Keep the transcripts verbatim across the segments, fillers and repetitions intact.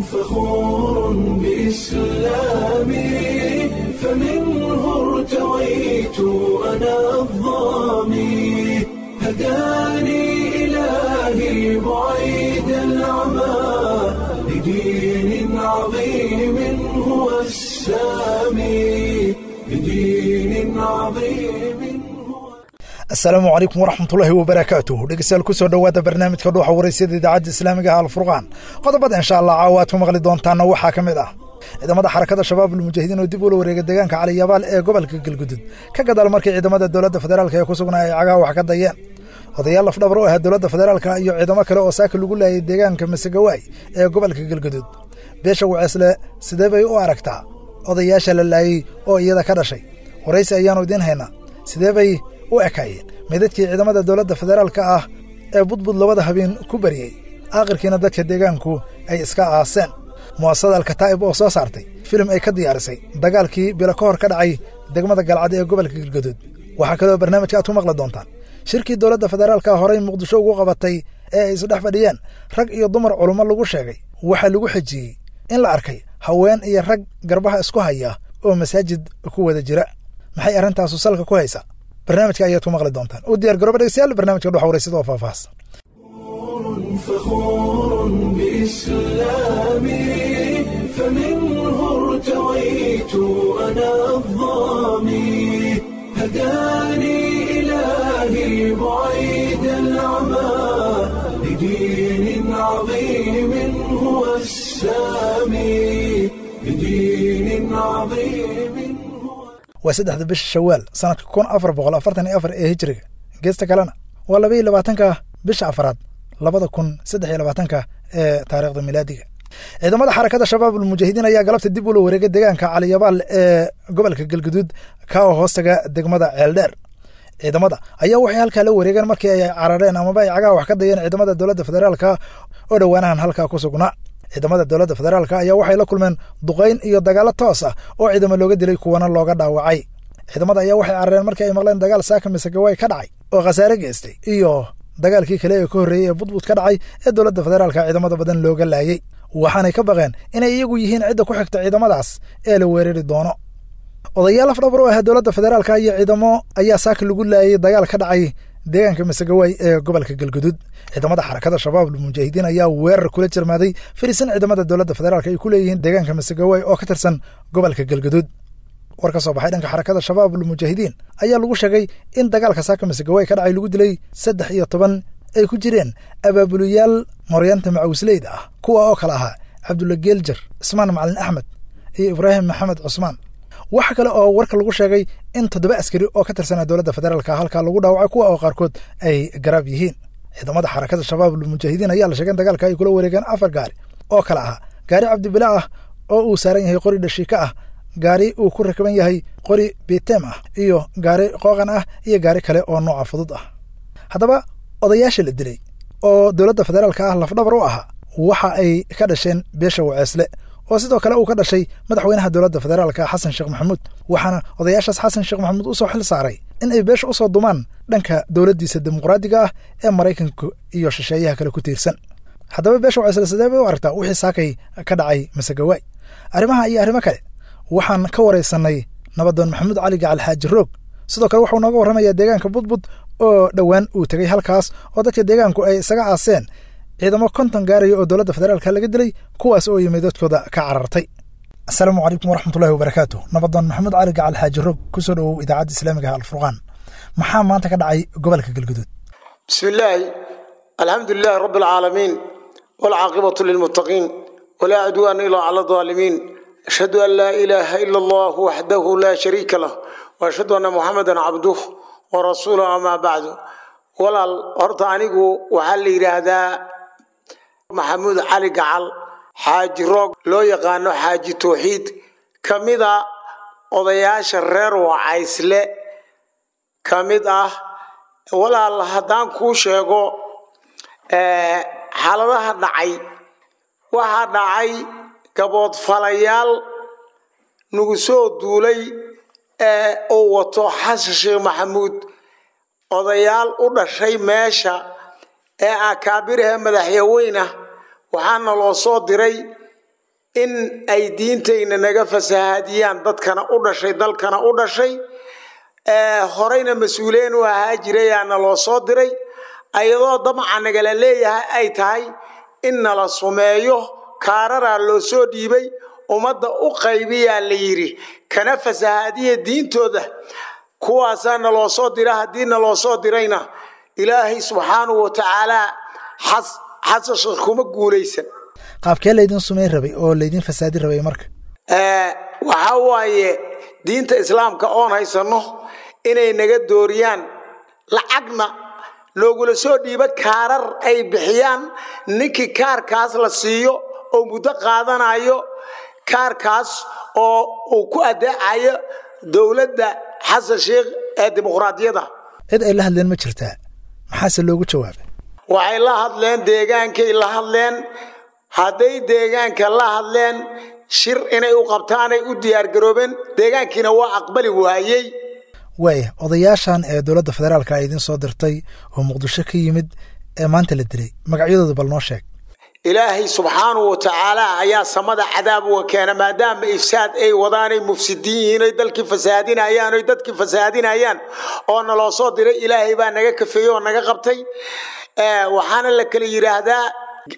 فخور بإسلامي، فمنه ارتويت أنا الظامي، هداني إلهي بعيد العمى لدين عظيم هو السامي، لدين عظيم هو. Asalaamu calaykum waraxmatullaahi wabarakaatuh. Dhegeystayaal, kusoo dhowaada barnaamijka Dhuuxa Waraysyada Idaacadda Islaamiga ah Alfurqaan. Qodobada insha Allah caawa aad ku maqli doontaana waxaa ka mid ah ciidamada Xarakada Shabaab Almujaahidiin oo dib ula wareegay deegaanka Caliyabaal ee gobolka Galgudud, ka gadaal markii ciidamada dowladda federaalka ee ku sugnaa ay cagaha wax ka dayeen. Odayaal lafdhabar u ahaa dowladda federaalka iyo ciidamo kale oo saaka lagu laayay deegaanka Masegawaay ee gobolka Galgudud. Beesha Waceesle sidee bay u aragtaa odayaasha la laayey oo iyada ka dhashay? Waraysi ayaannu idiin haynaa. Sidee bay u ekaayeen meydadkii ciidamada dowladda federaalka ah ee Budbud labada habeen ku bariyey, aakhirkiina dadka deegaanku ay iska aaseen? Mu'asasada Alkataa'ib oo soo saartay filim ay ka diyaarisay dagaalkii bilo ka hor ka dhacay degmada Galcad ee gobolka Galgaduud. Waxaa kaloo barnaamijka aad ku maqli doontaan shirkii dowladda federaalka horey Muqdisho ugu qabatay ee ay isdhex fadhiyeen rag iyo dumar culummo lagu sheegay. Waxaa lagu xejiyey in la arkay haween iyo rag garbaha isku haya oo masaajid ku wada jira. Maxay arrintaasu salka ku haysaa? Barnaamijka ayaad ku maqli doontaan. U diyaar garooba dhegeystayaal barnaamijka Dhuxa Waraysyada oo faahfaahsan. فخور بإسلامي، فمنه ارتويت أنا الظامي، هداني إلهي بعيد العمى لدين عظيم هو السامي، لدين عظيم هو. Waa saddexda bisha Shawaal sanadka kun afar boqol afartan iyo afar ee hijriga. Geesta kalena waa laba iyo labaatanka bisha afraad labada kun saddex iyo labaatanka ee taariikhda milaadiga. Ciidamada Xarakada Shabaab Almujaahidiin ayaa galabta dib ula wareegay deegaanka Caliyabaal ee gobolka Galguduud, ka oo hoostaga degmada Ceeldheer. Ciidamada ayaa waxay halkaa la wareegeen markii ay carareen amaba ay cagaha wax ka dayeen ciidamada dowladda federaalka oo dhowaanahan halkaa ku sugnaa. Ciidamada dowladda federaalka ayaa waxay la kulmeen duqayn iyo dagaalo toos ah oo ciidamo looga dilay, kuwana looga dhaawacay. Ciidamada ayaa waxay carareen markii ay maqleen dagaal saaka Masegawaay ka dhacay oo khasaare geystay iyo dagaalkii kale ee ka horreeyey ee Budbud ka dhacay ee dowladda federaalka ciidamada badan looga laayey, waxaanay ka baqeen inay iyagu yihiin cidda ku xigta ciidamadaas ee la weerari doono. Odayaal afdhabar u ahaa dowladda federaalka iyo ciidamo ayaa saaka lagu laayay dagaal ka dhacay deegaanka Masegawaay ee gobolka Galguduud. Ciidamada Xarakada Shabaab Almujaahidiin ayaa weerar kula jirmaaday fariisan ciidamada dowladda federaalka ay ku leeyihiin deegaanka Masegawaay oo ka tirsan gobolka Galguduud. War ka soo baxay dhanka Xarakada Shabaab Almujaahidiin ayaa lagu sheegay in dagaalka saaka Masegawaay ka dhacay lagu dilay saddex iyo toban ay ku jireen abaabuliyaal moryanta macawisleyda ah, kuwa oo kale ahaa Cabdulla Geeljar, Cismaan Macalin Axmed iyo Ibraahim Maxamed Cusmaan. Waxa kale oo warka lagu sheegay in toddoba askari oo ka tirsanaa dowladda federaalka halkaa lagu dhaawacay, kuwa oo qaarkood ay garaab yihiin. Ciidamada Xarakada Shabaab Almujaahidiin ayaa la sheegay in dagaalka ay kula wareegeen afar gaari oo kale ahaa gaari cabdibila ah oo uu saaran yahay qori dhashiika ah, gaari uu ku rakaban yahay qori bitem ah, iyo gaari qooqan ah, iyo gaari kale oo nooca fudud ah. Haddaba odayaasha la dilay oo dowladda federaalka ah lafdhabar u ahaa waxa ay ka dhasheen beesha Waceesle, oo sidoo kale uu ka dhashay madaxweynaha dowladda federaalka Xasan Sheekh Maxamuud. Waxaana odayaashaas Xasan Sheekh Maxamuud usoo xil saaray in ay beesha usoo dumaan dhanka dowladdiisa dimuqraadiga ah ee Maraykanka iyo shisheeyaha kale ku tiirsan. Haddaba beesha Waceesle sidee bay u aragtaa wixii saakay ka dhacay Masegawaay? Arrimaha iyo arrimo kale waxaan ka waraysanay nabadoon Maxamuud Cali Gacal Xaaji Roog. Sidoo kale waxuu nooga warramayaa deegaanka Budbud oo dhowaan uu tegey, halkaas oo dadka deegaanku ay isaga aaseen ciidamo konton gaaraya oo dowladda federaalka laga dilay, kuwaas oo yimid dadkooda ka carartay. Asalaamu calaykum waraxmatullahi wabarakaatu. Nabadoon Maxamuud Cali Gacal Xaaji Roog, kusoo dhowow Idaacadda Islaamiga ah Alfurqaan. Maxaa maanta ka dhacay gobolka Galguduud? بسم الله، الحمد لله رب العالمين، والعاقبة للمتقين، ولا عدوان إلا على الظالمين. أشهد أن لا إله إلا الله وحده لا شريك له، وأشهد أن محمدا عبده ورسوله، أما بعد. ولا horta anigu waxaa la yidhaahdaa Maxamuud Cali Gacal Xaaji Roog, loo yaqaano Xaaji Towxiid, ka mida odayaasha reer Wacaysle ka mid ah. Walaal, haddaan kuu sheego xaaladaha dhacay, waxaa dhacay gaboodfalayaal nagu soo duulay ee uu wato Xasan Sheekh Maxamuud. Odayaal u dhashay meesha ee akaabiraha madaxyaweynah waxaana loo soo diray In ay diintayna naga fasahaadiyaan dadkana u dhashay, dalkana u dhashay, horeyna mas-uuliyiin u ahaa jirayaana loo soo diray, ayadoo damaca nagala leeyahay ay tahay in nala sumeeyo. Kaararaa loo soo dhiibay, ummadda u qaybiyaa la yidhi, kana fasahaadiya diintooda. Kuwaasaa naloo soo dira. Haddii naloo soo dirayna, Ilaahay subxaanahu wa tacaalaa Xasan Sheekh kuma guulaysan. Qaabkee laydin sumeyn rabay oo laydin fasaadi rabay marka? Waxaa waaye diinta Islaamka oon haysano inay naga dooriyaan, lacagna loogula soo dhiibo, kaarar ay bixiyaan. Ninkii kaarkaas la siiyo oo muddo qaadanayo kaarkaas oo uu ku adeecayo dowladda Xasan Sheekh ee dimuqraadiyadda. Cid ay la hadleen ma jirtaa? Maxaase loogu jawaabay? Waxay la hadleen deegaankay la hadleen. Hadday deegaanka la hadleen, shir inay u qabtaanay u diyaargaroobeen, deegaankiina waa aqbali waayey. Waaya, odayaashan ee dowladda federaalka ay idin soo dirtay oo Muqdisho ka yimid ee maanta la dilay, magacyadooda bal noo sheeg. Ilaahay subxaanahu wa tacaala ayaa samada cadaab uga keena, maadaama ifsaad ay wadaanay, mufsidiin yihiin, oy dalkii fasahaadinayaan, oy dadkii fasahaadinayaan oo naloo soo diray. Ilaahay baa naga kafeeyey oo naga qabtay. Waxaana la kala yidhaahdaa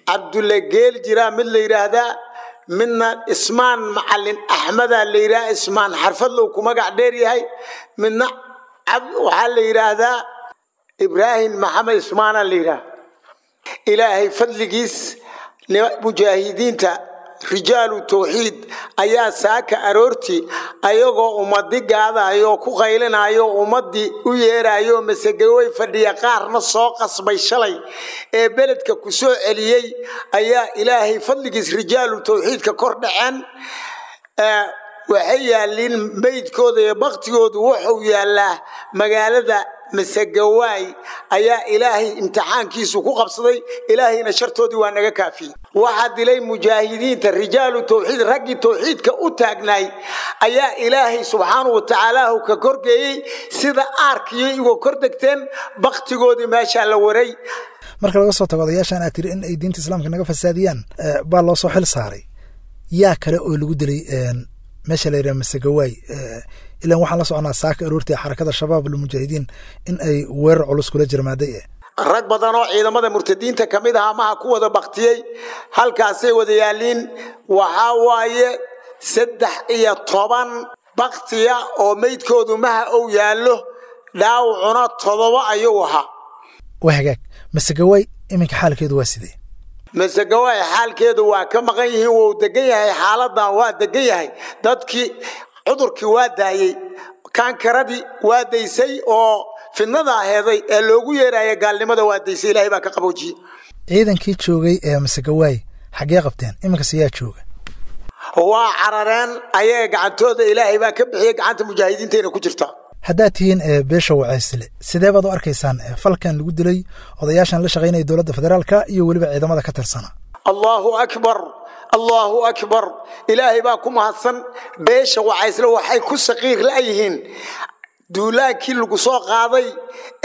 Cabdulle Geel jiraa mid la yidhaahdaa, midna Ismaan Macalin Axmedaa la yidhaha, Ismaan Xarfadlow ku magac dheer yahay, midna waxaa la yidhaahdaa Ibraahim Maxamed Ismaana la yidhaha. Ilaahay fadligiis, mujaahidiinta rijaalu tawxiid ayaa saaka aroortii ayagoo ummadi gaadayo, ku qaylinayo, ummadii u yeerayo Masagawey fadhiya, qaarna soo qasbay shalay ee beledka ku soo celiyey, ayaa Ilaahay fadligiis rijaalu tawxiidka kor dhaceen. Waxay yaaliin meydkooda iyo baktigoodu wuxuu yaallaa magaalada Masegawaay. Ayaa Ilaahay imtixaankiisu ku qabsaday, Ilaahayna shartoodii waa naga kaafiyey. Waxaa dilay mujaahidiinta rijaalu tawxiid, raggii tawxiidka u taagnaay ayaa Ilaahay subxaanahu wa tacaalaahu ka korgeeyey sida aarkiyo igo kor degteen, baktigoodii meeshaa la waray. Marka laga soo tago odayaashan aad tiri in ay diinta Islaamka naga fasaadiyaan baa loo soo xil saaray, yaa kale oo lagu dilay meesha la yidhaha Masegawaay? Ilan waxaan la soconaa saaka aroortii Xarakada Shabaab Almujaahidiin in ay weerar culus kula jirmaaday. Rag badan oo ciidamada murtadiinta ka mid ahaa maha ku wada baktiyey, halkaasay wada yaaliin. Waxaa waaye saddex iyo toban baktiya oo meydkoodu maha ou yaallo, dhaawacuna todoba ayuu ahaa. Waa hagaag, Masegawaay iminka xaalkeedu waa sidee? Masegawaay xaalkeedu waa ka maqan yihiin, wuu degan yahay, xaaladan waa degan yahay. Dadkii cudurkii waa daayey, kaankaradii waa daysay oo fidnada aheeday ee loogu yeeraya gaalnimada waa daysay, Ilahay baa ka qaboojiyey. Ciidankii joogay ee Masegawaay xaggee qabteen iminkase? Yaa jooga? Waa carareen ayaga, gacantooda Ilaahay baa ka bixiyey, gacanta mujaahidiintayna ku jirtaa. Haddaad tihiin beesha Wacaysle, sidee baad u arkaysaan falkan lagu dilay odayaashan la shaqaynaya dowladda federaalka iyo weliba ciidamada ka tirsana? Allahu akbar, Allahu akbar, Ilaahay baa ku mahadsan. Beesha Wacaysle waxay ku saqiir la'yihiin duulaankii lagu soo qaaday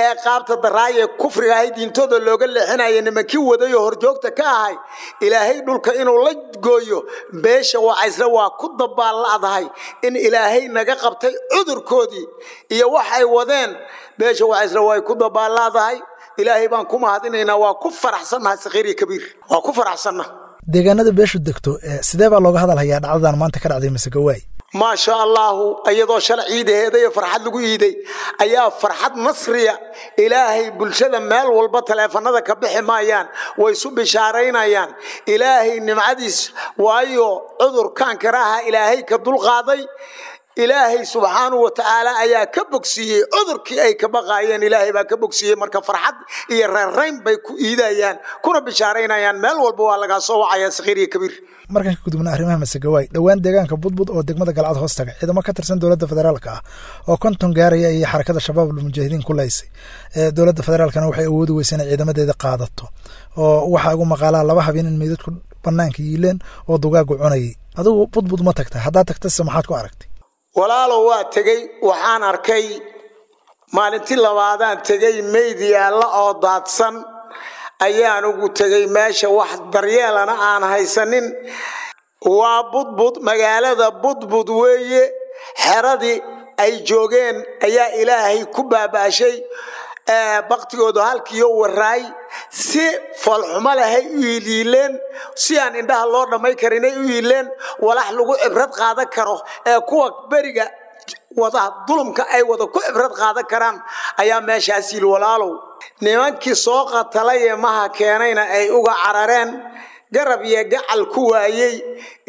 ee qaabta daraaya kufriga ahay, diintooda looga leexinaya, nimankii waday oo horjoogta ka ahay Ilaahay dhulka inuu la gooyo. Beesha Wacaysle waa ku dabaalla'dahay in Ilaahay naga qabtay cudurkoodii iyo waxay wadeen. Beesha Wacaysle way ku dabaalla'dahay, Ilaahay baan ku mahadinaynaa, waa ku faraxsannahay, saqiir iyo kabiir waa ku faraxsannaha. Deegaanada beeshu degto sidee baa looga hadal hayaa dhacdadan maanta ka dhacday Masegawaay? Maasha Allahu, iyadoo shalay ciidaheeda iyo farxad lagu iiday ayaa farxad nasriya Ilaahay bulshada meel walba taleefanada ka bixi maayaan, way isu bishaaraynayaan Ilaahay nimcadiis, waayo cudurkan karaha Ilaahay ka dulqaaday, Ilaahay subxaanahu wa tacaala ayaa ka bogsiiyey cudurkii ay ka baqaayeen, Ilaahay baa ka bogsiiyey. Marka farxad iyo reerrayn bay ku iidayaan kuna bishaaraynayaan, meel walba waa lagaa soo wacaya, saqiir iyo kabiir. Markaan ka gudubna arrimaha Masegawaay, dhowaan deegaanka Budbud oo degmada Galcad hoos taga ciidamo ka tirsan dowladda federaalka ah oo konton gaaraya ayay Xarakada Shabaab Almujaahidiin ku laysay. Dowladda federaalkana waxay awoodi weysa inay ciidamadeeda qaadato, oo waxaa ugu maqaalaa laba habeen in meydadku banaanka yiileen oo dugaagu cunayay. Adigu Budbud ma tagta? Haddaad tagtase maxaad ku aragtay? Walaalow, waa tegey. Waxaan arkay maalintii labaadaan tegey, meyd yaalla oo daadsan ayaan ugu tegey meesha, wax daryeelana aan haysanin. Waa Budbud, magaalada Budbud weeye. Xeradii ay joogeen ayaa Ilaahay ku baabaashay baktigooda halkiiyo waraay. Si foolxumo lehay u yiileen, si aan indhaha loo dhamay karinay u yiileen. Walax lagu cibrad qaadan karo ee kuwa beriga wada dulumka ay wada ku cibrad qaadan karaan ayaa meeshaas yil. Walaalow, nimankii soo qatalay ee maha keenayna ay uga carareen, garab iyo gacal ku waayey,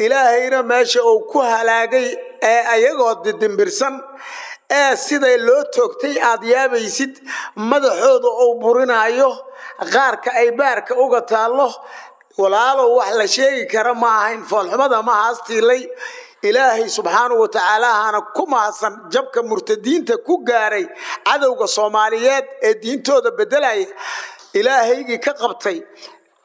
Ilaahayna meesha uu ku halaagay ee ayagoo didimbirsan ee siday loo toogtay aad yaabaysid, madaxooda uu burinayo, qaarka ay baarka uga taallo. Walaalow, wax la sheegi kara ma ahayn foolxumada ma haastiilay. Ilaahay subxaanahu wa tacaalaahana ku mahadsan jabka murtadiinta ku gaaray cadowga Soomaaliyeed ee diintooda beddelaya. Ilaahaygii ka qabtay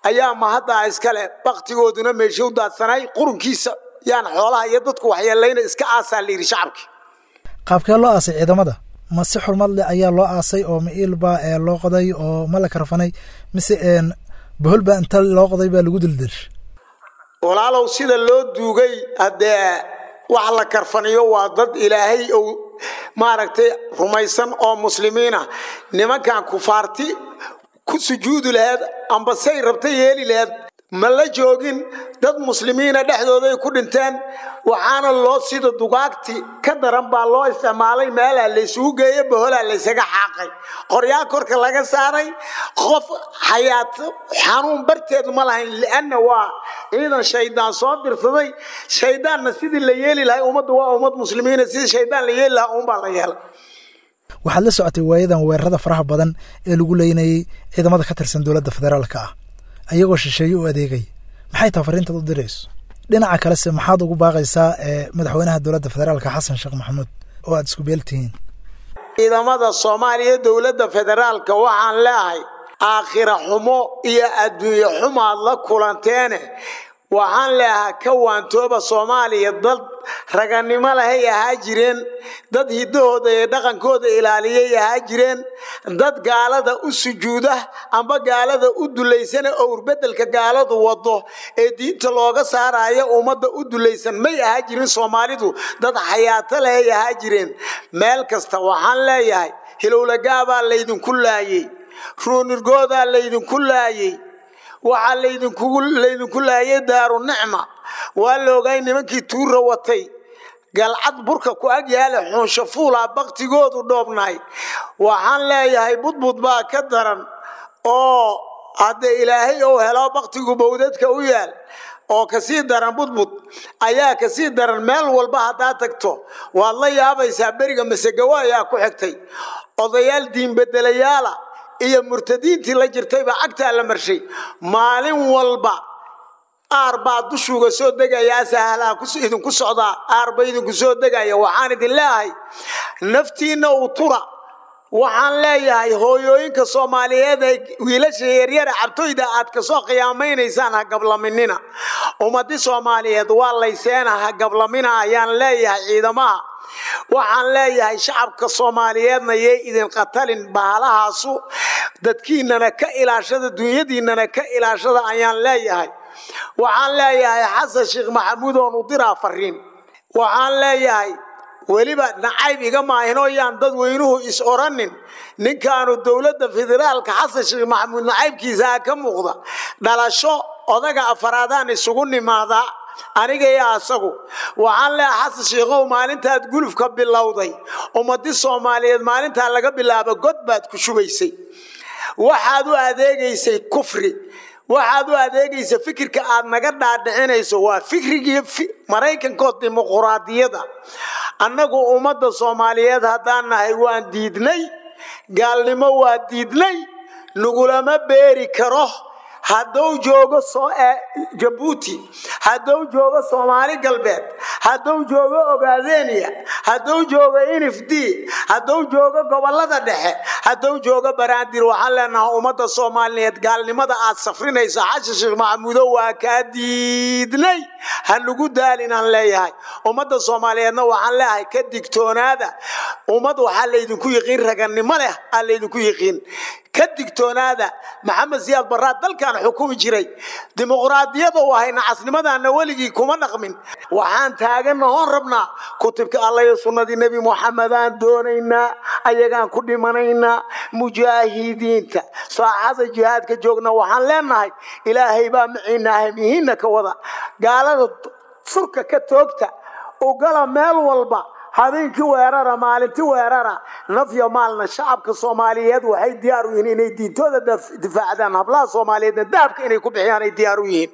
ayaa mahaddaa iskale. Baktigooduna meesha u daadsanay qurunkiisa yaan xoolaha iyo dadku waxyeelayna iska aasaa la yidhi shacabkii. Qaabkee loo aasay ciidamada? Ma si xurmad leh ayaa loo aasay oo ma iilbaa ee loo qoday oo ma la karfanay, mise bohol baa inta loo qoday baa lagu dildilsh? Walaalow, sida loo duugay haddee wax la karfaniyo waa dad Ilaahay uu maaragtay rumaysan oo muslimiina. Nimankan kufaarti ku sujuudi laheed amba say rabta yeeli laheed ma la joogin, dad muslimiina dhexdooday ku dhinteen. Waxaana loo sida dugaagti ka daran baa loo isticmaalay. Meelaa laysugu geeye, boholaa laysaga xaaqay, qoryaa korka laga saaray. Qof xayaat xanuun barteed ma lahayn, lianna waa ciidan shaydaan soo dirsaday. Shaydaanna sidii la yeeli lahay, ummaddu waa ummad muslimiina, sidii shaydaan la yeeli lahaa uunbaa la yeelay. Waxaad la socotay waayadan weerarada faraha badan ee lagu leynayay ciidamada ka tirsan dowladda federaalka ah ayagoo shisheeye u adeegay. Maxay taha fariintaad u dirayso? Dhinaca kalese maxaad ugu baaqaysaa madaxweynaha dowladda federaalka Xasan Sheekh Maxamuud oo aad isku beel tihiin? Ciidamada Soomaaliya, dowladda federaalka waxaan leeahay aakhira xumo iyo adduunye xumaad la kulanteene. Waxaan leeahaa ka waantooba. Soomaaliya dad raganimo lahay ahaa jireen, dad hiddahooda iyo dhaqankooda ilaaliyay ahaa jireen. Dad gaalada u sujuuda amba gaalada u dulaysana owrbedelka gaaladu wado ee diinta looga saarayo ummadda u dulaysan may ahaa jirin. Soomaalidu dad xayaato lahay ahaa jireen. Meel kasta waxaan leeyahay hilowlagaabaa laydinku laayey, ruunirgoodaa laydinku laayey, waxaa laydinkugu laydinku laayay Daaru Nicma. Waa la ogaay nimankii tuura watay Galcad burka ku ag yaale xuunsho fuulaa baktigoodu dhoobnaay. Waxaan leeyahay Budbud baa ka daran oo hadde Ilaahay ou helo baktigu bowdadka u yaal oo kasii daran. Budbud ayaa kasii daran. Meel walba haddaad tagto waad la yaabaysaa. Beriga Masegawa ayaa ku xigtay odayaal diinbedelayaala iyo murtadiintii la jirtayba cagtaa la marshay. Maalin walba aar baa dushuuga soo degaya, asahalaa idinku socdaa, aar ba idinku soo degaya. Waxaan idin leeyahay naftiinna u tura. Waxaan leeyahay hooyooyinka Soomaaliyeed ee wiilasha yaryara cabtoyda aad kasoo qiyaamaynaysaan ha gablaminina. Ummadi Soomaaliyeed waa layseena, ha gablamina ayaan leeyahay ciidamaha. Waxaan leeyahay shacabka Soomaaliyeedna yay idin qatalin bahalahaasu, dadkiinana ka ilaashada, dunyadiinana ka ilaashada ayaan leeyahay. Waxaan leeyahay Xasan Sheekh Maxamuud oon u diraa fariin. Waxaan leeyahay weliba nacayb iga maahinoo yaan dadweynuhu is oranin ninkaanu dowladda federaalka Xasan Sheekh Maxamuud nacaybkiisaa ka muuqda. Dhalasho odaga afaraadaan isugu nimaadaa aniga iyo asagu. Waxaan leeyahay Xasan Sheekhow, maalintaad gulufka bilowday ummadi Soomaaliyeed maalintaa laga bilaabo god baad ku shubaysay. Waxaad u adeegaysay kufri, waxaad u adeegaysa fikirka aad naga dhaadhicinayso waa fikrigii Maraykankood dimuquraadiyada. Annagu ummadda Soomaaliyeed haddaan nahay waan diidnay gaalnimo, waa diidnay, nagulama beeri karo. Hadduu joogo Jabuuti, hadduu joogo Soomaali Galbeed, hadduu joogo Ogaadenia, hadduu joogo N F D, hadduu joogo gobolada dhexe, hadduu joogo Baraandir, waxaan leenahay ummadda Soomaaliyeed gaalnimada aad safrinayso Xasan Sheekh Maxamuudo waa kaa diidnay, ha nagu daalin aan leeyahay. Ummadda Soomaaliyeedna waxaan leeyahay ka digtoonaada. Ummad waxaa laydinku yiqiin ragannimo leh aa laydinku yiqiin. Ka digtoonaada. Maxamed Siyaad Barraa dalkan xukumi jiray, dimuqraadiyada u ahay nacasnimadana weligii kuma dhaqmin. Waxaan taagannahoon rabnaa kutubka Alla iyo sunnadii Nebi Moxamedaan doonaynaa, ayagaan ku dhimanaynaa. Mujaahidiinta saacada jihaadka joogna waxaan leenahay, Ilaahay baa maciina ahmihiinna ka wada, gaalada surka ka toogta, ugala meel walba, habeenkii weerara, maalintii weerara, nafya maalna. Shacabka Soomaaliyeed waxay diyaar u yihiin inay diintooda difaacdaan, hablaha Soomaaliyeedna dahabka inay ku bixiyaan ay diyaar u yihiin.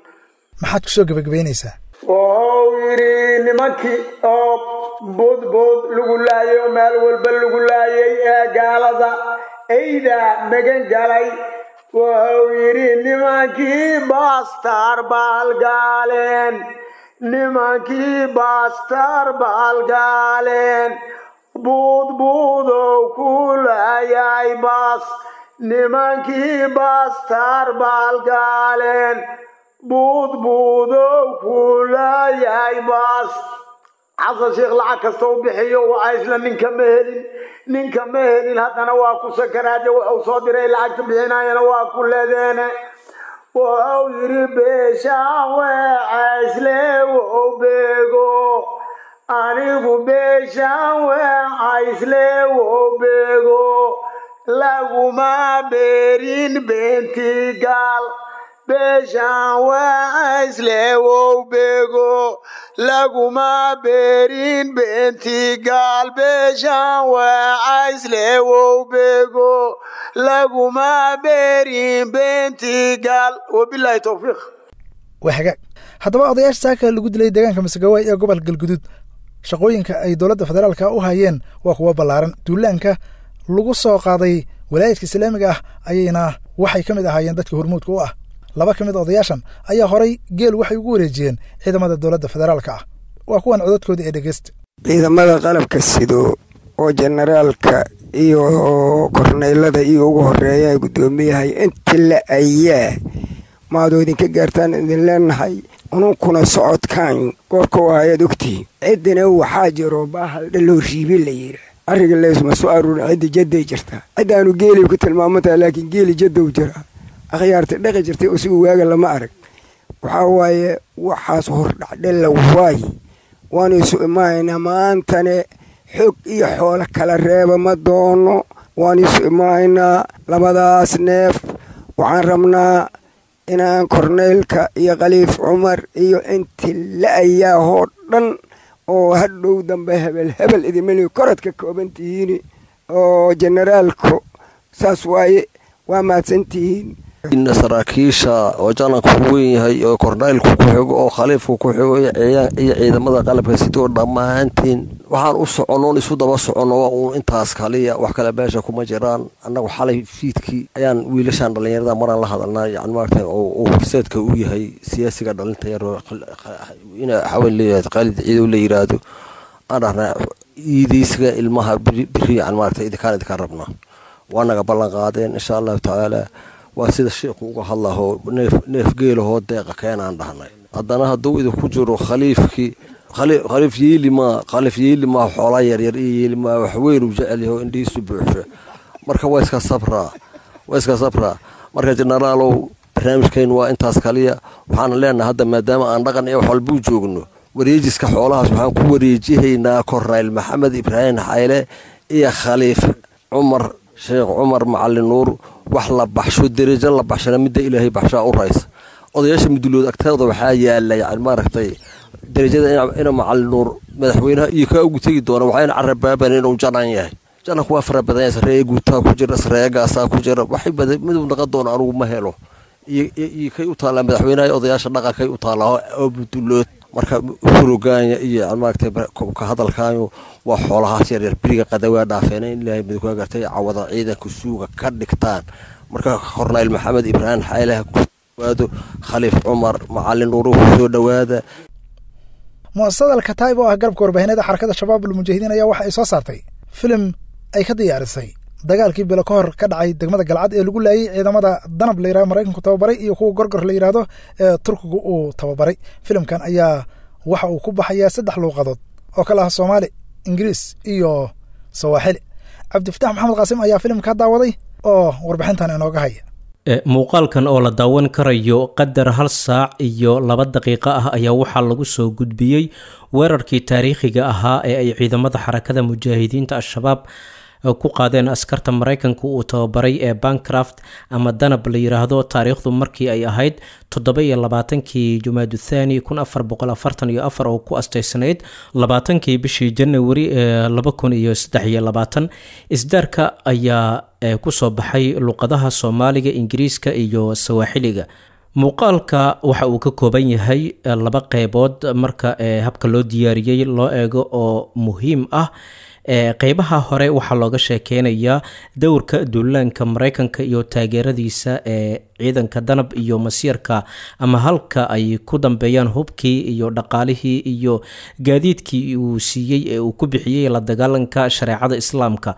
Maxaad kusoo gebagabaynaysaa? Wuxuu yidhi nimankii oo boodbood lagu laayay oo meel walba lagu laayay ee gaalada eyda magan galay, wuxuu yidhi nimankii baastar baalgaaleen, nimankii baastar baalgaaleen, buudbuudow ku laayay baas, nimankii baastar baalgaaleen, buudbuudow ku laayay baas. Xasan Sheekh lacag kasta u bixiyo waa isla ninka ma helin, ninka ma helin. Haddana waa ku sakaraade, wuxuu soo diray lacagta bixinayana waa ku leedeene. Wuxuu yidhi beeshaan weecaysle wow beego, anigu beeshaan weecaysle wow beego, laguma beerin beenti gaal. Beeshaan weecaysle wow beego, laguma beerin beenti gaal. Beeshaan weecaysle wow beego, laguma beerin beenti gaal. Wabilaahi towfiiq. Waa hagaag. Haddaba odayaasha saaka lagu dilay deegaanka Masagawaay ee gobolka Galguduud, shaqooyinka ay dowladda federaalka u hayeen waa kuwo ballaaran. Duulaanka lagu soo qaaday walaayadka islaamiga ah ayayna waxay ka mid ahaayeen dadka hormuudka u ah. Laba ka mid odayaashan ayaa horay geel waxay ugu wareejiyeen ciidamada dowladda federaalka ah. Waa kuwan codadkooda ee dhegeysta. Ciidamada qalabka sido oo jenaraalka iyo korneylada iyo ugu horeeya guddoomiyahay inti la ayaa maadoo idinka gaartaan idin leenahay. Ununkuna socodkaan goorka u ayaad ogtihiin, ciddina waxaa jiro baahal dhaloo riibi la yidhaa, arriga leysma soo aruurin. Cidda jadday jirtaa, ciddaanu geelay ku tilmaamantaha, laakiin geeli jaddow jiraa, akhyaarta dhaqi jirtay usigu waaga lama arag. Waxaa waaye waxaas hordhacdhella waaye, waanu isu imaanaynaa maantane, xog iyo xoolo kala reeba ma doono. Waanu isu imaanaynaa labadaas neef. Waxaan rabnaa inaan korneylka iyo Khaliif Cumar iyo inti la ayaahoo dhan oo hadhow dambe hebel hebel idimali korad ka kooban tihiin oo jenaraalku saas waaye. Waa mahadsantihiin. Saraakiisha oo jananku ku weyn yahay oo korneylku ku xigo oo khaliifku ku xigo iyo ciidamada qalabka sidoo dhammaantiin, waxaan u soconnoon isu daba soconno waa uun intaas kaliya, wax kale meesha kuma jiraan. Annagu xalay fiidkii ayaan wiilashaan dhallinyarada maraan la hadalnaa, yani maaragtay oo horseedka u yahay siyaasiga dhalinta yar ina xaween leeyahay Khaalid Ciidow la yiraahdo, aan dhahnaa iideysiga ilmaha biri, yani maaragtay idinkaan idinkaan rabnaa. Waa naga ballan qaadeen insha Allahu tacaala. Waa sida sheikhu uga hadlahoo neef neef geelahoo deeqa keenaan dhahnay. Haddana hadduu idinku jiro khaliifkii, khaliif yeeli maa, khaliif yeeli maa, xoolaa yaryar iyo yeeli maa, wax weyn uu jecel yaho indhihiisu buuxsho. Marka waa iska sabraa, waa iska sabraa. Marka jenaraalow, barnaamijkaynu waa intaas kaliya. Waxaana leenahay hadda maadaama aan dhaqan iyo wax walbuu joogno, wareejiska xoolahaas waxaan ku wareejihaynaa Kornayl Maxamed Ibraahim Xayle iyo Khaliif Cumar Sheekh Cumar Macalin Nuur. Wax la baxsho, derajo la baxshana midda Ilaahay baxshaa u raysa. Odayaasha mudulood agtooda waxaa yaala, yani maaragtay, derajada ina Macalin Nuur madaxweynaha iyo kaa ugu tegi doona. Waxayna carabaaban inuu janan yahay. Jananku waa fara badan yahay, sareeye guutaa ku jira, sareeye gaasaa ku jira, waxay badan miduu naqon doono anugu ma helo iyo kay u taallaa madaxweynaha odayaasha dhaqankay u taallaa oo mudulood. Marka furogaanya iyo maaragtay ka hadalkaayo waa xoolahaas yaryar beriga qadawaa dhaafeena in Ilaahay midkaa gartay cawada ciidanka suuga ka dhigtaan. Marka Kornayl Maxamed Ibraahim Xayleha ku dhawaado, Khaliif Cumar Macalin Nuuru ku soo dhowaada. Mu'asasada Alkataib oo ah garabka warbaahineeda Xarakada Shabaab Almujaahidiin ayaa waxa ay soo saartay filim ay ka diyaarisay dagaalkii bilo ka hor ka dhacay degmada Galcad ee lagu laayay ciidamada Danab la yirahdo Maraykanku tababaray iyo kuwa Gorgor la yidhaahdo ee Turkigu uu tababaray. Filimkan ayaa waxa uu ku baxayaa saddex luuqadood oo kala ah Soomaali, Ingiriis iyo Sawaaxili. Cabdifatax Maxamed Qaasim ayaa filimka daawaday, Oo warbixintan inooga haya. Muuqaalkan oo la daawan karayo qadar hal saac iyo laba daqiiqo ah ayaa waxaa lagu soo gudbiyey weerarkii taariikhiga ahaa ee ay ciidamada Xarakada Mujaahidiinta Al-Shabaab ku qaadeen askarta Maraykanka uu tababaray ee Bancraft ama Danab la yiraahdo, taariikhdu markii ay ahayd toddoba iyo labaatankii Jumaadu Thani kun afar boqol afartan iyo afar, oo ku asteysanayd labaatankii bishii Janawari ee laba kun iyo saddex iyo labaatan. Isdaarka ayaa kusoo baxay luqadaha Soomaaliga, Ingiriiska iyo Sawaaxiliga. Muuqaalka waxa uu ka kooban yahay laba qeybood marka habka loo diyaariyey loo eego oo muhiim ah. Qeybaha hore waxaa looga sheekeynayaa dowrka duulaanka Mareykanka iyo taageeradiisa ee ciidanka Danab iyo masiirka ama halka ay ku dambeeyaan hubkii iyo dhaqaalihii iyo gaadiidkii uu siiyey ee uu ku bixiyey la dagaalanka shareecada Islaamka.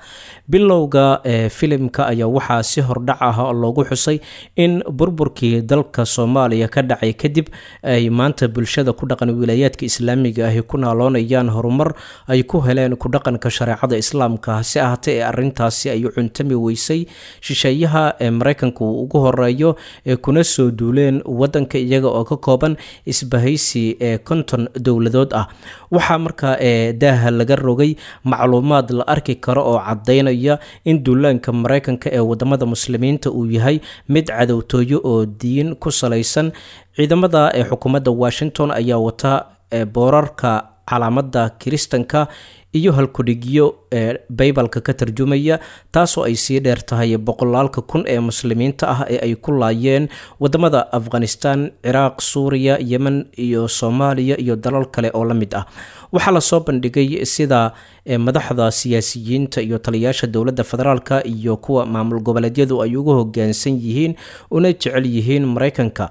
Bilowga filimka ayaa waxaa si hordhac ah loogu xusay in burburkii dalka Soomaaliya ka dhacay kadib ay maanta bulshada ku dhaqan wilaayaadka Islaamiga ahi ku naaloonayaan horumar ay ku heleen ku dhaqanka shareecada Islaamka. Hase ahaatee, ee arintaasi ay cuntami weysay shisheeyaha ee Mareykanka uu ugu horeeyo ee kuna soo duuleen wadanka iyaga oo ka kooban isbahaysi ee konton dowladood ah. Waxaa markaa ee daaha laga rogay macluumaad la arki karo oo cadaynaya in duulaanka Mareykanka ee wadamada Muslimiinta uu yahay mid cadowtooyo oo diin ku salaysan. Ciidamada ee xukuumadda Washington ayaa wata boorarka calaamada Kiristanka iyo halkudhigyo ee Baybalka ka tarjumaya, taasoo ay sii dheer tahay boqolaalka kun ee Muslimiinta ah ee ay ku laayeen wadamada Afghanistan, Ciraaq, Suuriya, Yemen iyo Soomaaliya iyo dalal kale oo la mid ah. Waxaa lasoo bandhigay sida madaxda siyaasiyiinta iyo taliyaasha dowladda federaalka iyo kuwa maamul goboleedyadu ay ugu hogaansan yihiin una jecel yihiin Mareykanka.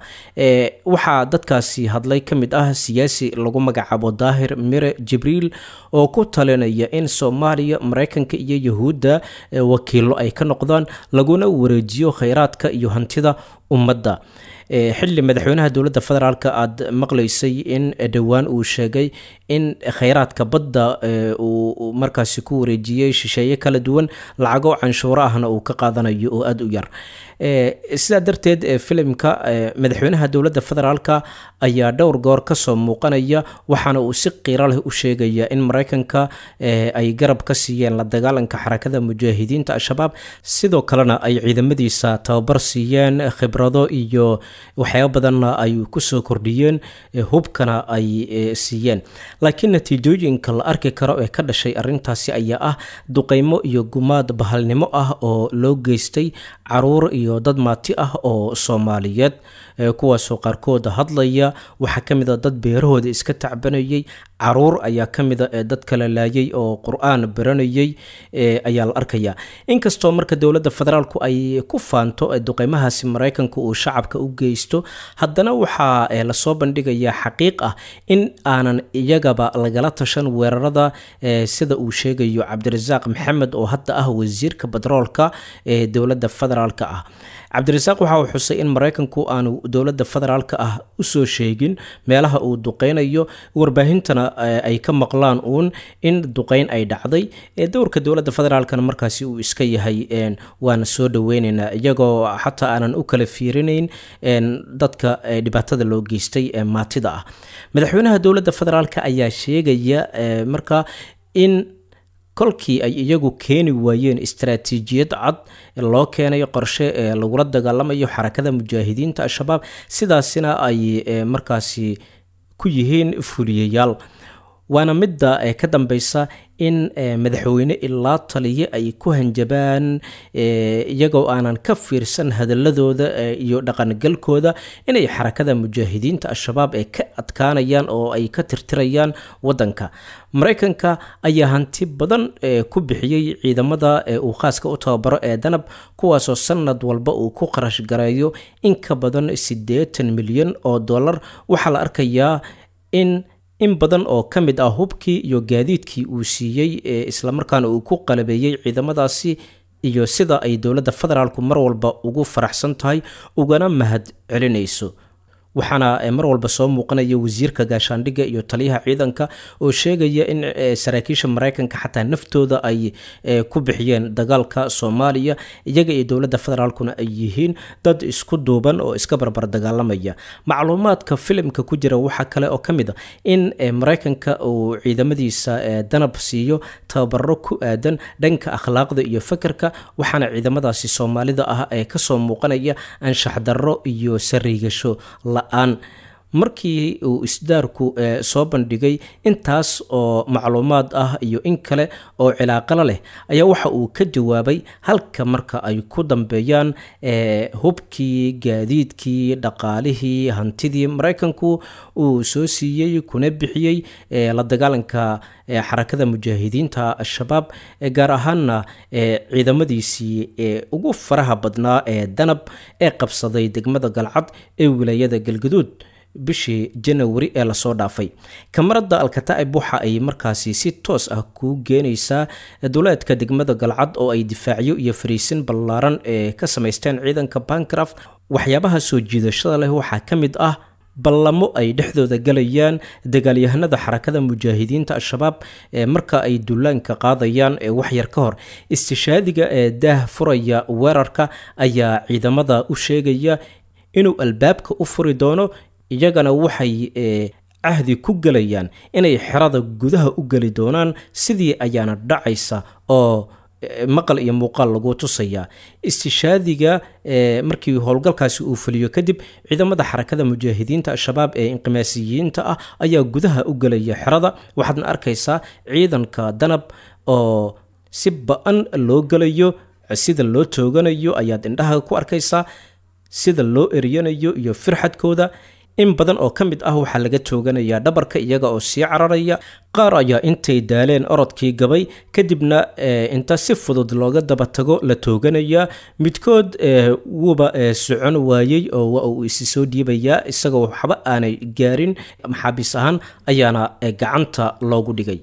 Waxaa dadkaasi hadlay ka mid ah siyaasi lagu magacaabo Daahir Mire Jibriil oo ku talinaya in Soomaaliya Mareykanka iyo Yahuudda wakiilo ay ka noqdaan, laguna wareejiyo kheyraadka iyo hantida ummadda, xilli madaxweynaha dowladda federaalka aada maqlaysay in dhowaan uu sheegay in kheyraadka badda uu markaasi ku wareejiyey shisheeye kala duwan, lacago canshuuro ahna uu ka qaadanayo oo aada u yar. Sidaa darteed, filimka madaxweynaha dowladda federaalka ayaa dhowr goor kasoo muuqanaya, waxaana uu si qiiro leh u sheegaya in Mareykanka ay garab ka siiyeen la dagaalanka Xarakada Mujaahidiinta Al-Shabaab, sidoo kalena ay ciidamadiisa tababar siiyeen, khibrado iyo waxyaaba badanna ay kusoo kordhiyeen, hubkana ay siiyeen. Laakiin natiijooyinka la arki karo ee ka dhashay arintaasi ayaa ah duqeymo iyo gumaad bahalnimo ah oo loo geystay caruur iyo dad maati ah oo Soomaaliyeed, kuwaasoo qaarkood hadlaya. Waxaa ka mid a dad beerahooda iska tacbanayay, caruur ayaa ka mid a ee dad kala laayay oo Qur-aan baranayay ayaa la arkaya. Inkastoo marka dowladda federaalku ay ku faanto duqeymahaasi Mareykanka uu shacabka u geysto, haddana waxaa lasoo bandhigayaa xaqiiq ah in aanan iyagaba lagala tashan weerarada, sida uu sheegayo Cabdirasaaq Maxamed oo hadda ah wasiirka batroolka ee dowladda federaalka ah. Cabdirasaaq waxa uu xusay in Mareykanku aanu dowladda federaalka ah usoo sheegin meelaha uu duqeynayo, warbaahintana ay ka maqlaan uun in duqeyn ay dhacday, dowrka dowladda federaalkana markaasi uu iska yahay waana soo dhaweyneynaa, iyagoo xataa aanan u kala fiirinayn dadka dhibaatada loo geystay ee maatida ah. Madaxweynaha dowladda federaalka ayaa sheegaya marka in kolkii ay iyagu keeni waayeen istaraatiijiyad cad loo keenayo qorshe ee lagula dagaalamayo Xarakada Mujaahidiinta Al-Shabaab, sidaasina ay markaasi ku yihiin fuliyayaal, waana midda ka dambeysa in madaxweyne ilaa taliye ay ku hanjabaan iyagoo aanan ka fiirsan hadaladooda iyo dhaqangalkooda inay Xarakada Mujaahidiinta Al-Shabaab ee ka adkaanayaan oo ay ka tirtirayaan wadanka. Mareykanka ayaa hanti badan ku bixiyey ciidamada uu khaaska u tababaro ee Danab, kuwaasoo sanad walba uu ku qarash gareeyo in ka badan siddeetan milyan oo dollar. Waxaa la arkayaa in in badan oo ka mid ah hubkii iyo gaadiidkii uu siiyey ee islamarkaana uu ku qalabeeyey ciidamadaasi iyo sida ay dowladda federaalku mar walba ugu faraxsan tahay ugana mahad celinayso. Waxaana mar walba soo muuqanaya wasiirka gaashaandhigga iyo taliyaha ciidanka oo sheegaya in saraakiisha Maraykanka xataa naftooda ay ku bixiyeen dagaalka Soomaaliya, iyaga iyo dowladda federaalkuna ay yihiin dad isku duuban oo iska barbar dagaalamaya. Macluumaadka filimka ku jira waxaa kale oo ka mid a in Maraykanka uu ciidamadiisa danab siiyo tababaro ku aadan dhanka akhlaaqda iyo fakarka, waxaana ciidamadaasi Soomaalida ah ee kasoo muuqanaya anshax darro iyo sariigasho la. Markii uu isdaarku soo bandhigay intaas oo macluumaad ah iyo in kale oo cilaaqala leh, ayaa waxa uu ka jawaabay halka marka ay ku dambeeyaan hubkii, gaadiidkii, dhaqaalihii, hantidii Maraykanku uu soo siiyey kuna bixiyey la dagaalanka xarakada mujaahidiinta Al-Shabaab, gaar ahaana ciidamadiisii ugu faraha badnaa ee danab ee qabsaday degmada Galcad ee wilaayada Galgaduud bishii Janawari ee lasoo dhaafay. Kamarada Alkataa'ib waxa ay markaasi si toos ah kuu geenaysaa duleedka degmada Galcad oo ay difaacyo iyo fariisin ballaaran ee ka samaysteen ciidanka Bancraft. Waxyaabaha soo jiidashada leh waxaa ka mid ah ballamo ay dhexdooda galayaan dagaalyahanada xarakada mujaahidiinta Al-Shabaab ee marka ay dullaanka qaadayaan ee waxyar ka hor. Istishaadiga ee daah furaya weerarka ayaa ciidamada u sheegaya inuu albaabka u furi doono, iyagana waxay cahdi ku gelayaan inay xerada gudaha u geli doonaan. Sidii ayaana dhacaysa oo maqal iyo muuqaal lagu tusayaa. Istishaadiga markii howlgalkaasi uu fuliyo kadib, ciidamada xarakada mujaahidiinta Al-Shabaab ee inqimaasiyiinta ah ayaa gudaha u gelaya xerada. Waxaadna arkaysaa ciidanka danab oo si ba-an loo gelayo, sida loo tooganayo ayaad indhaha ku arkaysaa, sida loo eryanayo iyo firxadkooda. In badan oo ka mid ah waxaa laga tooganayaa dhabarka iyaga oo sii cararaya. Qaar ayaa intay daaleen orodkii gabay, kadibna inta si fudud looga daba tago la tooganayaa. Midkood wuuba socon waayey oo waa uu isi soo dhiibayaa isagoo waxba aanay gaarin, maxaabiis ahaan ayaana gacanta loogu dhigay.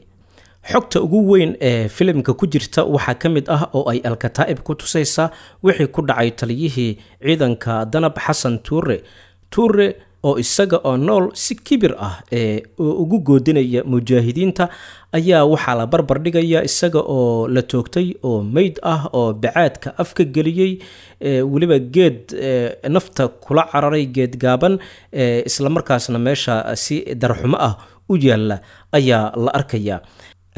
Xogta ugu weyn ee filimka ku jirta waxaa ka mid ah oo ay Alkataa'ib ku tusaysaa wixii ku dhacay taliyihii ciidanka danab Xasan Tuure. Tuure oo isaga oo nool si kibir ah ee ugu goodinaya mujaahidiinta ayaa waxaa la barbar dhigaya isaga oo la toogtay oo meyd ah oo bacaadka afka geliyey, weliba geed nafta kula cararay, geed gaaban, islamarkaasna meesha si darxumo ah u yaalla ayaa la arkayaa.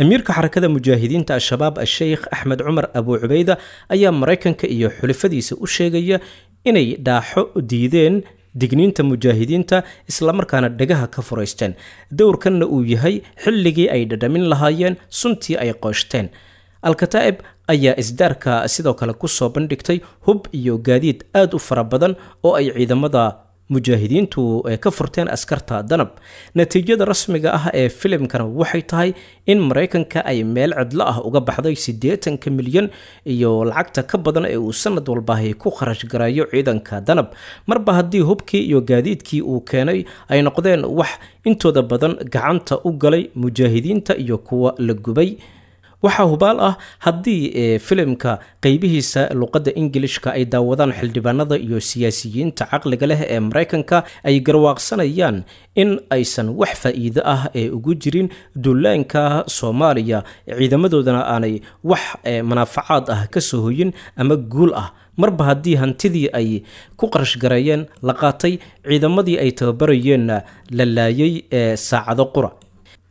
Amiirka xarakada mujaahidiinta Al-Shabaab Asheykh Axmed Cumar Abu Cubeyda ayaa Maraykanka iyo xulifadiisa u sheegaya inay dhaaxo diideen digniinta mujaahidiinta, islamarkaana dhagaha ka furaysteen, dowrkanna uu yahay xilligii ay dhadhamin lahaayeen suntii ay qooshteen. Alkataa'ib ayaa isdaarka sidoo kale kusoo bandhigtay hub iyo gaadiid aad u fara badan oo ay ciidamada mujaahidiintu ka furteen askarta danab. Natiijada rasmiga ah ee filimkana waxay tahay in Maraykanka ay meel cidlo ah uga baxday siddeetanka milyan iyo lacagta ka badan ee uu sanad walbahi ku kharash garayo ciidanka danab, marba haddii hubkii iyo gaadiidkii uu keenay ay noqdeen wax intooda badan gacanta u galay mujaahidiinta iyo kuwa la gubay. Waxaa hubaal ah haddii filimka qeybihiisa luqadda Ingilishka ay daawadaan xildhibaanada iyo siyaasiyiinta caqliga leh ee Maraykanka ay garwaaqsanayaan in aysan wax faa'iido ah ee ugu jirin duulaanka Soomaaliya, ciidamadoodana aanay wax manaafacaad ah ka soo hoyin ama guul ah, marba haddii hantidii ay ku qarash gareeyeen la qaatay, ciidamadii ay tababarayeenna la laayay ee saacado qura.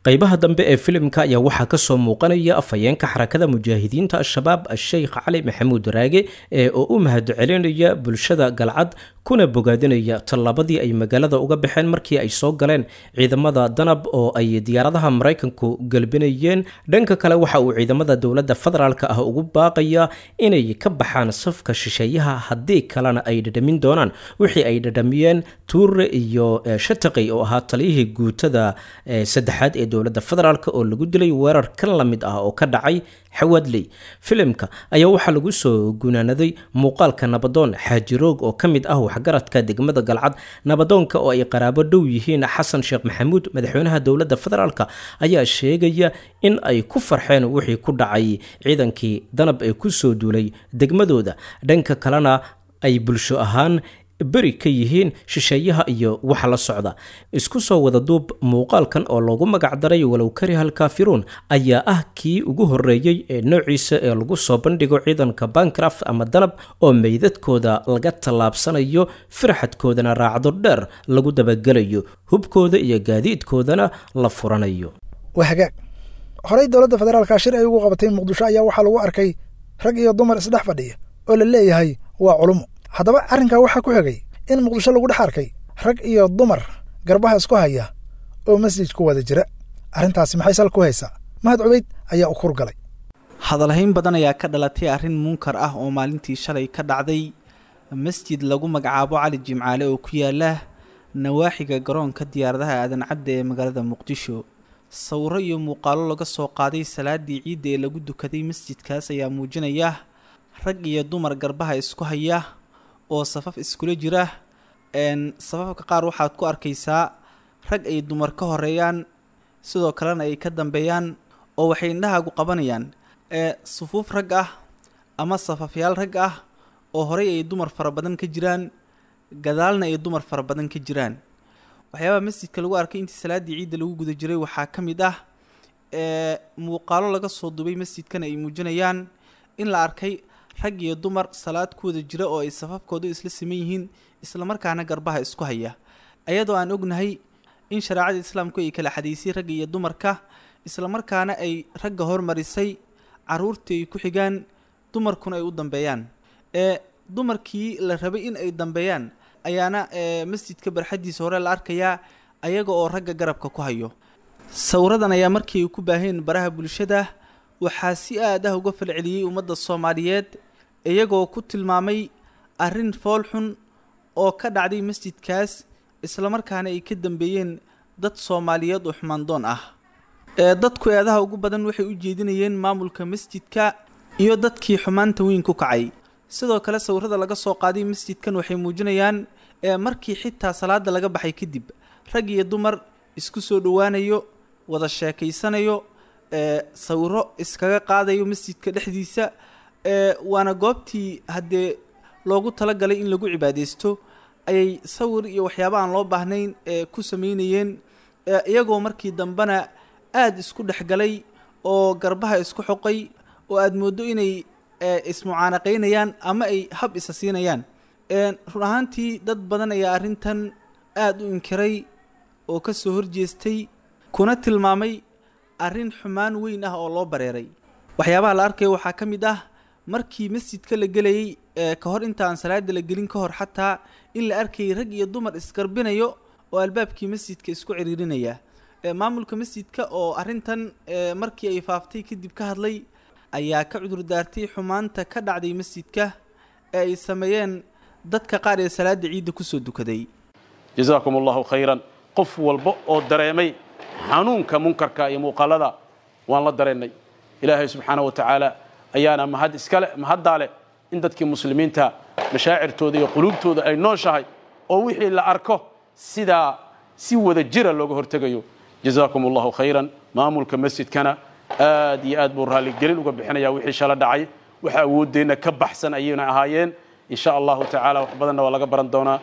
Qaybaha dambe ee filimka ayaa waxaa kasoo muuqanaya afhayeenka xarakada mujaahidiinta Al-Shabaab Asheykh Cali Maxamuud Raage ee oo u mahad celinaya bulshada Galcad kuna bogaadinaya tallaabadii ay magaalada uga baxeen markii ay soo galeen ciidamada danab oo ay diyaaradaha Maraykanku galbinayeen. Dhanka kale waxa uu ciidamada dowladda federaalka ah ugu baaqayaa inay ka baxaan safka shisheeyaha, haddii kalena ay dhadhamin doonaan wixii ay dhadhamiyeen Tuure iyo Shataqi oo ahaa taliyihii guutada saddexaad ee dowladda federaalk oo lagu dilay weerar kan la mid ah oo ka dhacay Xawaadley. Filimka ayaa waxaa lagu soo gunaanaday muuqaalka nabadoon Xaaji Roog oo ka mid ah waxgaradka degmada Galcad. Nabadoonka oo ay qaraabo dhow yihiin Xasan Sheekh Maxamuud, madaxweynaha dowladda federaalk, ayaa sheegaya in ay ku farxeen wixii ku dhacay ciidankii danab ee ku soo duulay degmadooda, dhanka kalena ay bulsho ahaan beri ka yihiin shisheeyaha iyo waxa la socda. Isku soo wada duub, muuqaalkan oo loogu magacdaray Walow Karihal Kaafiruun ayaa ah kii ugu horreeyey ee noociisa ee lagu soo bandhigo ciidanka Bancraft ama Danab oo meydadkooda laga tallaabsanayo, firxadkoodana raacdo dheer lagu dabagelayo, hubkooda iyo gaadiidkoodana la furanayo. Waa hagaag. Horey dowladda federaalka shir ay ugu qabatay Muqdisho ayaa waxaa lagu arkay rag iyo dumar isdhex fadhiya oo la leeyahay waa culumo. Haddaba arrinkaa waxaa ku xigay in Muqdisho lagu dhex arkay rag iyo dumar garbaha isku haya oo masjid ku wada jira. Arrintaasi maxay sal ku haysaa? Mahad Cubeyd ayaa u kurgalay. Hadalhayn badan ayaa ka dhalatay arrin munkar ah oo maalintii shalay ka dhacday masjid lagu magacaabo Cali Jimcaale oo ku yaala nawaaxiga garoonka diyaaradaha Aadan Cadde ee magaalada Muqdisho. Sawiro iyo muuqaalo laga soo qaaday salaadii ciidda ee lagu dukaday masjidkaas ayaa muujinaya rag iyo dumar garbaha isku haya oo safaf iskula jira. Een safafka qaar waxaad ku arkaysaa rag ay dumar ka horeeyaan, sidoo kalena ay ka dambeeyaan, oo waxay indhahaagu qabanayaan ee sufuuf rag ah ama safafyaal rag ah oo horey ay dumar fara badan ka jiraan, gadaalna ay dumar fara badan ka jiraan. Waxyaabaha masjidka lagu arkay intii salaadii ciidda lagu guda jiray waxaa ka mid ah ee muuqaalo laga soo duubay masjidkan ay muujinayaan in la arkay rag iyo dumar salaad ku wada jira oo ay safafkoodu isla siman yihiin, islamarkaana garbaha isku haya, ayadoo aan ognahay in shareecada islaamku ay kala xadaysay ragga iyo dumarka, islamarkaana ay ragga hormarisay, caruurtii ay ku xigaan, dumarkuna ay u dambeeyaan. Ee dumarkii la rabay in ay dambeeyaan ayaana ee masjidka barxaddiisa hore la arkayaa ayaga oo ragga garabka ku hayo. Sawiradan ayaa markii ay ku baaheen baraha bulshada waxaa si aad ah uga falceliyey ummadda Soomaaliyeed, iyagoo ku tilmaamay arrin fool xun oo ka dhacday masjidkaas, islamarkaana ay ka dambeeyeen dad Soomaaliyeed oo xumaandoon ah. Ee dadku eedaha ugu badan waxay u jeedinayeen maamulka masjidka iyo dadkii xumaanta weyn ku kacay. Sidoo kale sawirada laga soo qaaday masjidkan waxay muujinayaan ee markii xitaa salaada laga baxay kadib rag iyo dumar isku soo dhowaanayo, wada sheekaysanayo, ee sawiro iskaga qaadayo masjidka dhexdiisa. Ee waana goobtii haddee loogu talagalay in lagu cibaadeysto ayay sawir iyo waxyaaba aan loo baahnayn ee ku sameynayeen, iyagoo markii dambena aada isku dhexgalay oo garbaha isku xoqay oo aada mooddo inay ismucaanaqaynayaan ama ay hab isa siinayaan. Run ahaantii dad badan ayaa arrintan aada u inkiray oo ka soo horjeestay, kuna tilmaamay arrin xumaan weyn ah oo loo bareeray. Waxyaabaha la arkayo waxaa ka mid ah markii masjidka la gelayay ee ka hor inta aan salaada la gelin ka hor xataa in la arkayay rag iyo dumar isgarbinayo oo albaabkii masjidka isku ciriirinaya. Maamulka masjidka oo arrintan markii ay faaftay kadib ka hadlay ayaa ka cudur daartay xumaanta ka dhacday masjidka ee ay sameeyeen dadka qaar ee salaada ciidda kusoo dukaday. Jazaakum Allahu khayran. Qof walba oo dareemay xanuunka munkarka iyo muuqaalada waan la dareennay. Ilaahay subxaanahu wa tacaala ayaana mahad iskale, mahaddaa leh in dadkii muslimiinta mashaacirtooda iyo quluubtooda ay nooshahay oo wixii la arko sidaa si wada jira looga hortegayo. Jazaakum Allahu khayran. Maamulka masjidkana aad iyo aad buu raalligelin uga bixinayaa wixii shala dhacay. Waxa awooddeenna ka baxsan ayayna ahaayeen. In sha Allahu tacaala wax badanna waa laga baran doonaa.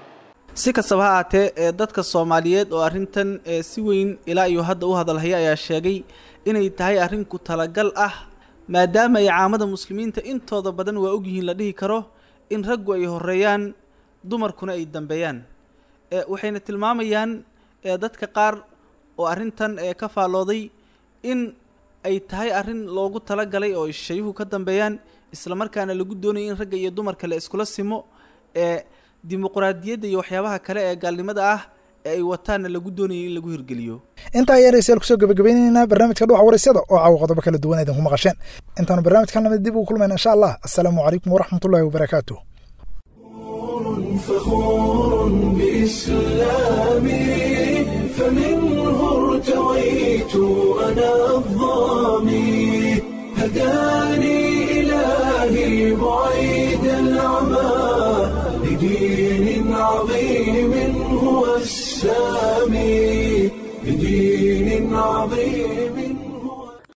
Si kastaba ha ahaatee ee dadka Soomaaliyeed oo arrintan ee si weyn ilaa iyo hadda u hadalhaya ayaa sheegay inay tahay arrin ku talagal ah, maadaama ay caamada muslimiinta intooda badan waa ogyihiin la dhihi karo in raggu ay horeeyaan dumarkuna ay dambeeyaan. Ee waxayna tilmaamayaan ee dadka qaar oo arrintan ee ka faallooday in ay tahay arrin loogu talagalay oo shayuhu ka dambeeyaan, islamarkaana lagu doonayo in ragga iyo dumarka la iskula simo ee dimuqraadiyadda iyo waxyaabaha kale ee gaalnimada ah ee ay wataanna lagu doonayo in lagu hirgeliyo. Intaa ayaan dhegeystayaal kusoo gabagabaynaynaa barnaamijka Dhuuxa Waraysyada oo caawa qodobo kala duwan idinku maqasheen. Intaanu barnaamijkan lamid dib ugu kulmayna insha Allah. Assalaamu calaykum waraxmatullaahi wabarakaatuh. فخور بإسلامي فمنه ارتويت أنا الظامي هداني إلهي بعيد العمى لدين عظيم هو السامي لدين عظيم.